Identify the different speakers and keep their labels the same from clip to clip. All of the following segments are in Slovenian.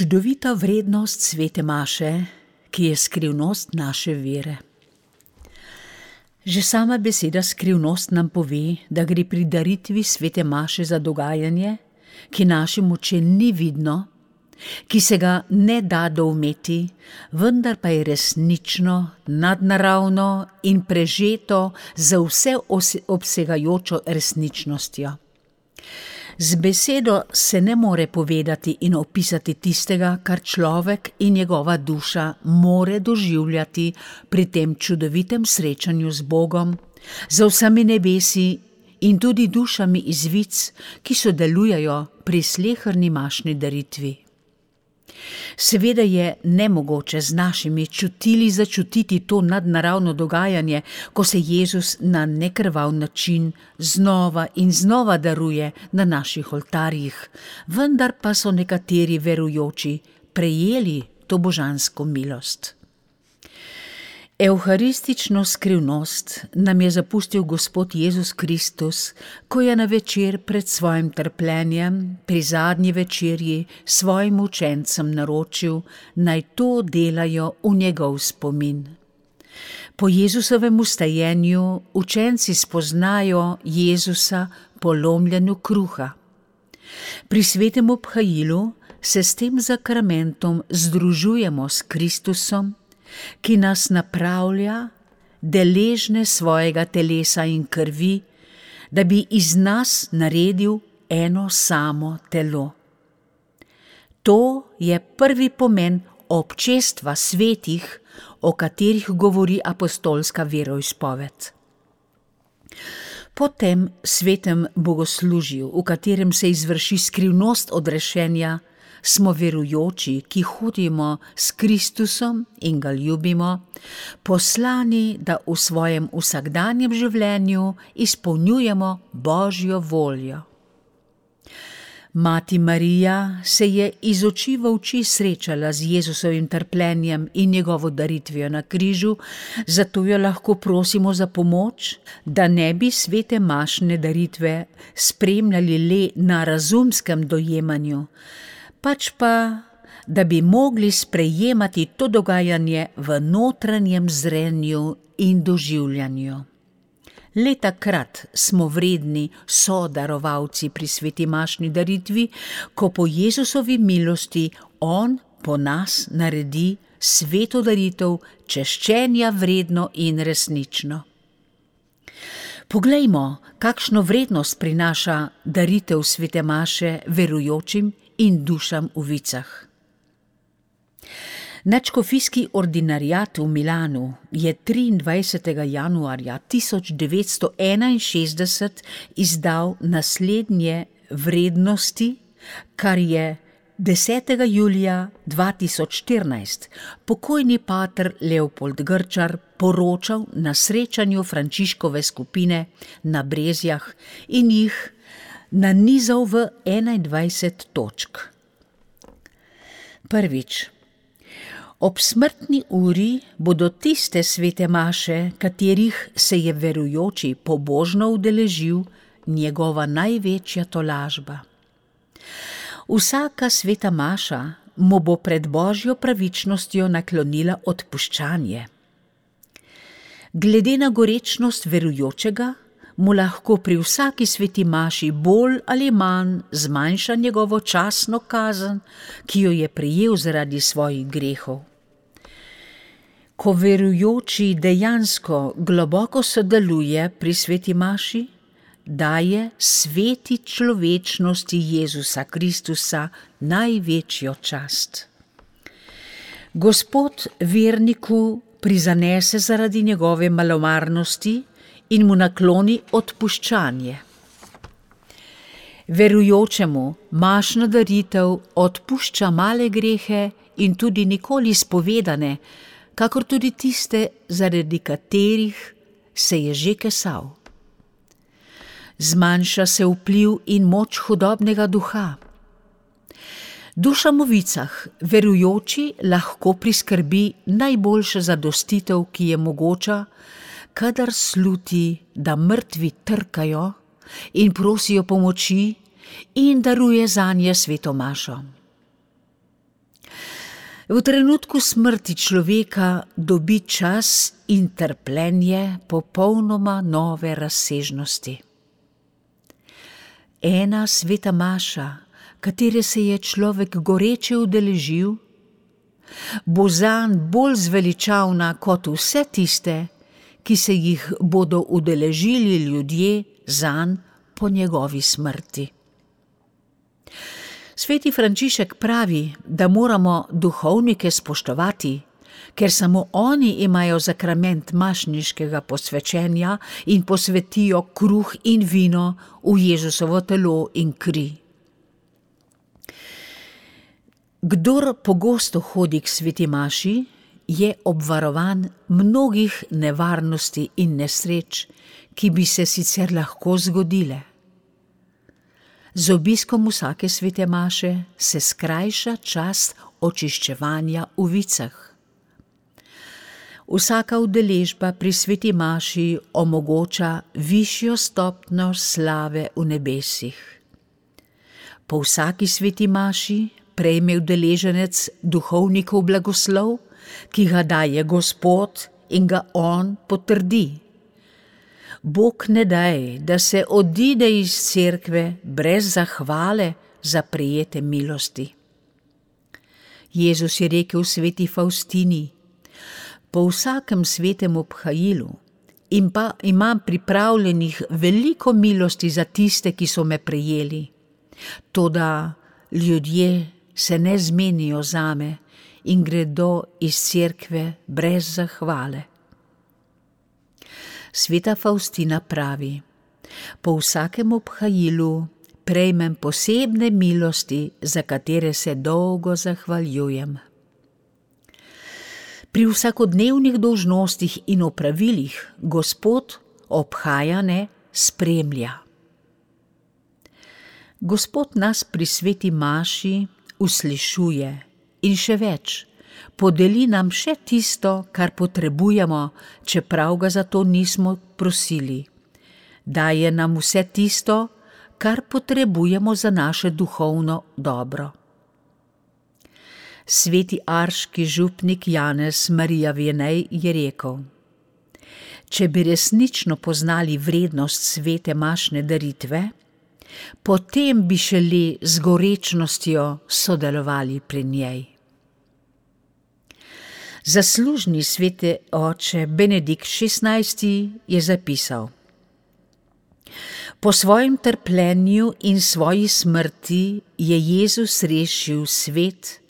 Speaker 1: Čudovita vrednost svete maše, ki je skrivnost naše vere. Že sama beseda skrivnost nam pove, da gre pri daritvi svete maše za dogajanje, ki našim očem ni vidno, ki se ga ne da doumeti, vendar pa je resnično, nadnaravno in prežeto za vse obsegajočo resničnostjo. Z besedo se ne more povedati in opisati tistega, kar človek in njegova duša more doživljati pri tem čudovitem srečanju z Bogom, z vsemi nebesi in tudi dušami iz vic, ki sodelujejo pri sleherni mašni daritvi. Seveda je nemogoče z našimi čutili začutiti to nadnaravno dogajanje, ko se Jezus na nekrvav način znova in znova daruje na naših oltarjih, vendar pa so nekateri verujoči prejeli to božansko milost. Evharistično skrivnost nam je zapustil Gospod Jezus Kristus, ko je na večer pred svojim trpljenjem, pri zadnji večerji, svojim učencem naročil, naj to delajo v njegov spomin. Po Jezusovem vstajenju učenci spoznajo Jezusa po lomljenju kruha. Pri svetem obhajilu se s tem zakramentom združujemo s Kristusom, ki nas napravlja, deležne svojega telesa in krvi, da bi iz nas naredil eno samo telo. To je prvi pomen občestva svetih, o katerih govori apostolska veroizpoved. Po tem svetem bogoslužju, v katerem se izvrši skrivnost odrešenja, smo verujoči, ki hodimo s Kristusom in ga ljubimo, poslani, da v svojem vsakdanjem življenju izpolnjujemo Božjo voljo. Mati Marija se je iz oči v oči srečala z Jezusovim trpljenjem in njegovo daritvijo na križu, zato jo lahko prosimo za pomoč, da ne bi svete mašne daritve spremljali le na razumskem dojemanju, pač pa, da bi mogli sprejemati to dogajanje v notranjem zrenju in doživljanju. Le takrat smo vredni sodarovalci pri sveti mašni daritvi, ko po Jezusovi milosti On po nas naredi sveto daritev češčenja vredno in resnično. Poglejmo, kakšno vrednost prinaša daritev svete maše verujočim in dušam v vicah. Nadškofijski ordinariat v Milanu je 23. januarja 1961 izdal naslednje vrednosti, kar je 10. julija 2014 pokojni pater Leopold Grčar poročal na srečanju Frančiškove skupine na Brezjah in jih nanizal v 21 točk. Prvič. Ob smrtni uri bodo tiste svete maše, katerih se je verujoči pobožno udeležil, njegova največja tolažba. Vsaka sveta maša mu bo pred Božjo pravičnostjo naklonila odpuščanje. Glede na gorečnost verujočega, mu lahko pri vsaki sveti maši bolj ali manj zmanjša njegovo časno kazen, ki jo je prejel zaradi svojih grehov. Ko verujoči dejansko globoko sodeluje pri sveti maši, daje sveti človečnosti Jezusa Kristusa največjo čast. Gospod verniku prizanese zaradi njegove malomarnosti in mu nakloni odpuščanje. Verujočemu mašna daritev odpušča male grehe in tudi nikoli spovedane, kakor tudi tiste, zaradi katerih se je že kesal. Zmanjša se vpliv in moč hudobnega duha. Dušam v vicah verujoči lahko priskrbi najboljša zadostitev, ki je mogoča, kadar sluti, da mrtvi trkajo in prosijo pomoči in daruje zanje sveto mašo. V trenutku smrti človeka dobi čas in trpljenje popolnoma nove razsežnosti. Ena sveta maša, katere se je človek goreče udeležil, bo zanj bolj zveličavna kot vse tiste, ki se jih bodo udeležili ljudje zanj po njegovi smrti. Sveti Frančišek pravi, da moramo duhovnike spoštovati, ker samo oni imajo zakrament mašniškega posvečenja in posvetijo kruh in vino v Jezusovo telo in kri. Kdor pogosto hodi k sveti maši, je obvarovan mnogih nevarnosti in nesreč, ki bi se sicer lahko zgodile. Z obiskom vsake svete maše se skrajša čas očiščevanja v vicah. Vsaka udeležba pri sveti maši omogoča višjo stopnjo slave v nebesih. Po vsaki sveti maši prejme udeleženec duhovnikov blagoslov, ki ga daje Gospod in ga on potrdi. Bog ne daj, da se odide iz cerkve brez zahvale za prejete milosti. Jezus je rekel sveti Faustini: po vsakem svetem obhajilu imam pripravljenih veliko milosti za tiste, ki so me prejeli. Toda ljudje se ne zmenijo zame in gredo iz cerkve brez zahvale. Sveta Faustina pravi: po vsakem obhajilu prejmem posebne milosti, za katere se dolgo zahvaljujem. Pri vsakodnevnih dolžnostih in opravilih Gospod obhajane spremlja. Gospod nas pri sveti maši uslišuje in še več, podeli nam še tisto, kar potrebujemo, čeprav ga za to nismo prosili. Daje nam vse tisto, kar potrebujemo za naše duhovno dobro. Sveti arški župnik Janez Marija Vianney je rekel: če bi resnično poznali vrednost svete mašne daritve, potem bi šele z gorečnostjo sodelovali pri njej. Zaslužni sveti oče Benedikt XVI je zapisal: po svojem trpljenju in svoji smrti je Jezus rešil svet,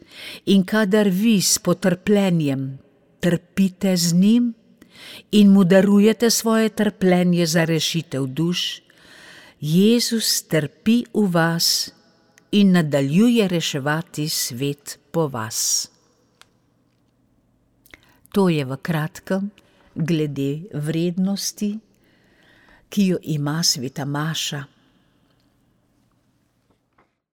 Speaker 1: in kadar vi s potrpljenjem trpite z njim in mu darujete svoje trpljenje za rešitev duš, Jezus trpi v vas in nadaljuje reševati svet po vas. To je v kratkem glede vrednosti, ki jo ima sveta maša.